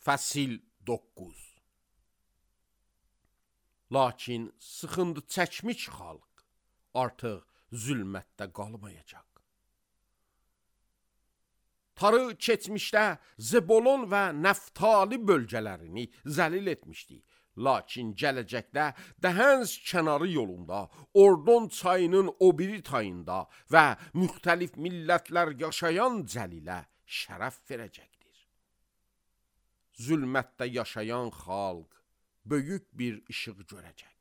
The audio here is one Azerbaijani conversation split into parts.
Fəsil 9. Lakin sıxıntı çəkmiş xalq artıq zülmətdə qalmayacaq. Tarı keçmişdə Zebolon və Nəftali bölgələrini zəlil etmişdi. Lakin gələcəkdə Dəhənz kənarı yolunda, Ordon çayının o biri tayında və müxtəlif millətlər yaşayan Cəlilə şərəf verəcəkdir. Zülmətdə yaşayan xalq böyük bir işıq görəcək.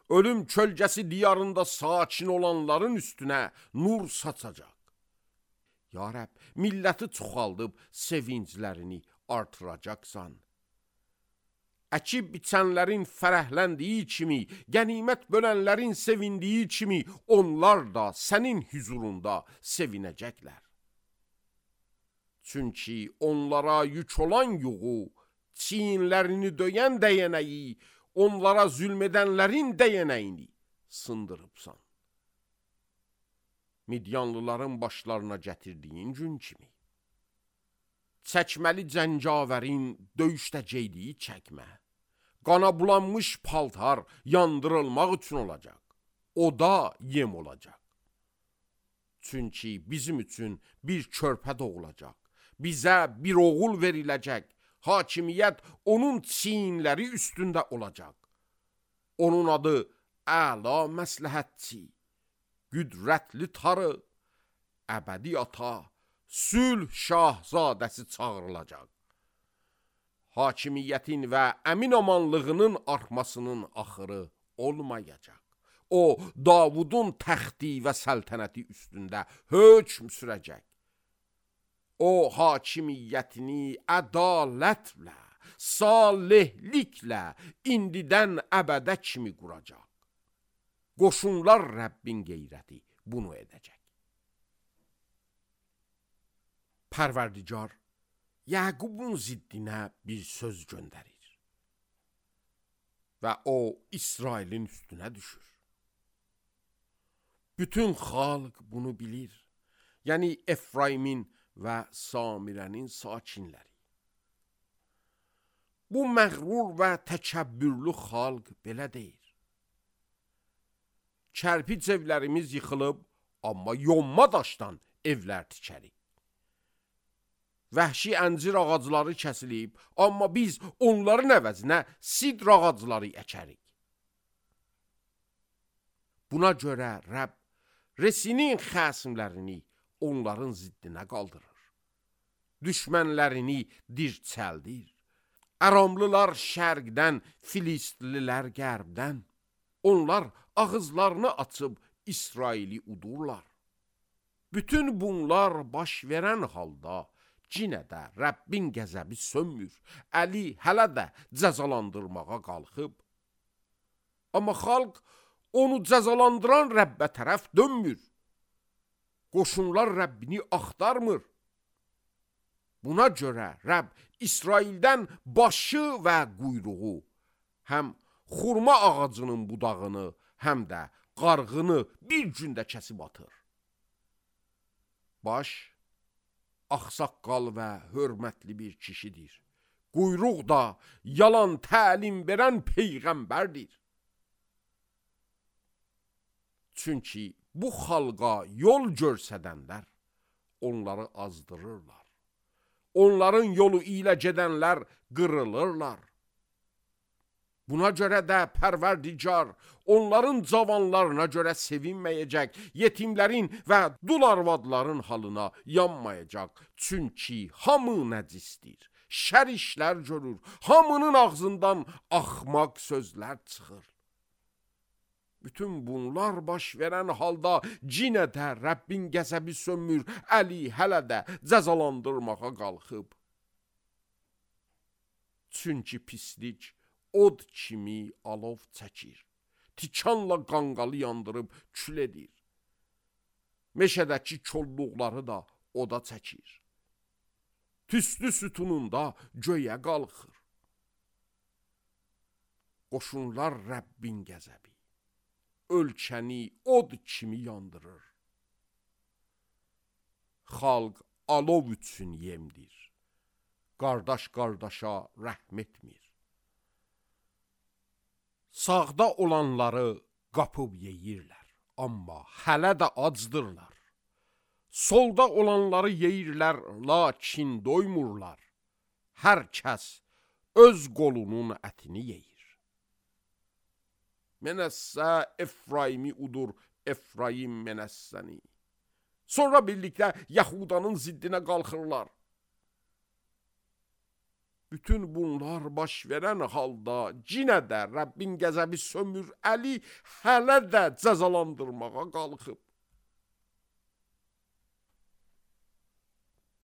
Ölüm kölgəsi diyarında sakin olanların üstünə nur saçacaq. Ya Rəbb, milləti çoxaldıb sevinclərini artıracaqsan. Əkib biçənlərin fərəhləndiyi kimi, qənimət bölənlərin sevindiyi kimi, onlar da sənin hüzurunda sevinəcəklər. Çünki onlara yük olan yuğu, çiyinlərini döyən dəyənəyi, onlara zülmədənlərin dəyənəyini sındırıbsan. Midyanlıların başlarına gətirdiyin gün kimi. Çəkməli cəngavərin döyüşdə geydiyi çəkmə, qana bulanmış paltar yandırılmaq üçün olacaq. O da yem olacaq. Çünki bizim üçün bir körpə doğulacaq. Bizə bir oğul veriləcək. Hakimiyyət onun çiyinləri üstündə olacaq. Onun adı Əla məsləhətçi, qüdrətli tarı, əbədi ata, sülh şahzadəsi çağırılacaq. Hakimiyyətin və əmin amanlığının artmasının axırı olmayacaq. O, Davudun təxti və səltənəti üstündə hökm sürəcək. O, hakimiyyətini ədalətlə, salihliklə indidən əbədə kimi quracaq. Qoşunlar Rəbbin qeyrəti bunu edəcək. Pərverdigar Yaqubun ziddinə bir söz göndərir və o İsrailin üstünə düşür. Bütün xalq bunu bilir, yəni Efraimin və Samirənin sakinləri. Bu məğrur və təkəbbürlü xalq belə deyir. Kərpic evlərimiz yıxılıb, amma yonma daşdan evlər tikərik. Vəhşi əncir ağacları kəsilib, amma biz onların əvəzinə sidr ağacları əkərik. Buna görə Rəbb Resinin xəsimlərini onların ziddinə qaldırır. Düşmənlərini dirçəldir. Əramlılar şərqdən, Filistlilər qərbdən. Onlar ağızlarını açıb İsraili udurlar. Bütün bunlar baş verən halda yenə də Rəbbin qəzəbi sönmür. Əli hələ də cəzalandırmağa qalxıb. Amma xalq onu cəzalandıran Rəbbə tərəf dönmür. Qoşunlar Rəbbini axtarmır. Buna görə Rəbb İsraildən başı və quyruğu, həm xurma ağacının budağını, həm də qarğını bir gündə kəsib atır. Baş, ağsaqqal və hörmətli bir kişidir. Quyruq da yalan təlim verən peyğəmbərdir. Çünki bu xalqa yol görsədənlər onları azdırırlar. Onların yolu ilə gedənlər qırılırlar. Buna görə də Pərverdigar onların cavanlarına görə sevinməyəcək, yetimlərin və dul arvadların halına yanmayacaq. Çünki hamı nəcisdir, şər işlər görür, hamının ağzından axmaq sözlər çıxır. Bütün bunlar baş verən halda yenə də Rəbbin qəzəbi sönmür, Əli hələ də cəzalandırmağa qalxıb. Çünki pislik od kimi alov çəkir, tikanla qanqalı yandırıb kül edir. Meşədəki kolluqları da oda çəkir. Tüstü sütununda göyə qalxır. Qoşunlar Rəbbin qəzəbi ölkəni od kimi yandırır. Xalq alov üçün yemdir. qardaş qardaşa rəhm etmir. Sağda olanları qapıb yeyirlər, amma hələ də acdırlar. Solda olanları yeyirlər, lakin doymurlar. Hər kəs öz qolunun ətini yeyir. Mənəssə Efraimi udur, Efraim mənəssəni. Sonra birlikdə Yahudanın ziddinə qalxırlar. Bütün bunlar baş verən halda cinə də Rəbbin qəzəbi sömür əli hələ də cəzalandırmağa qalxıb.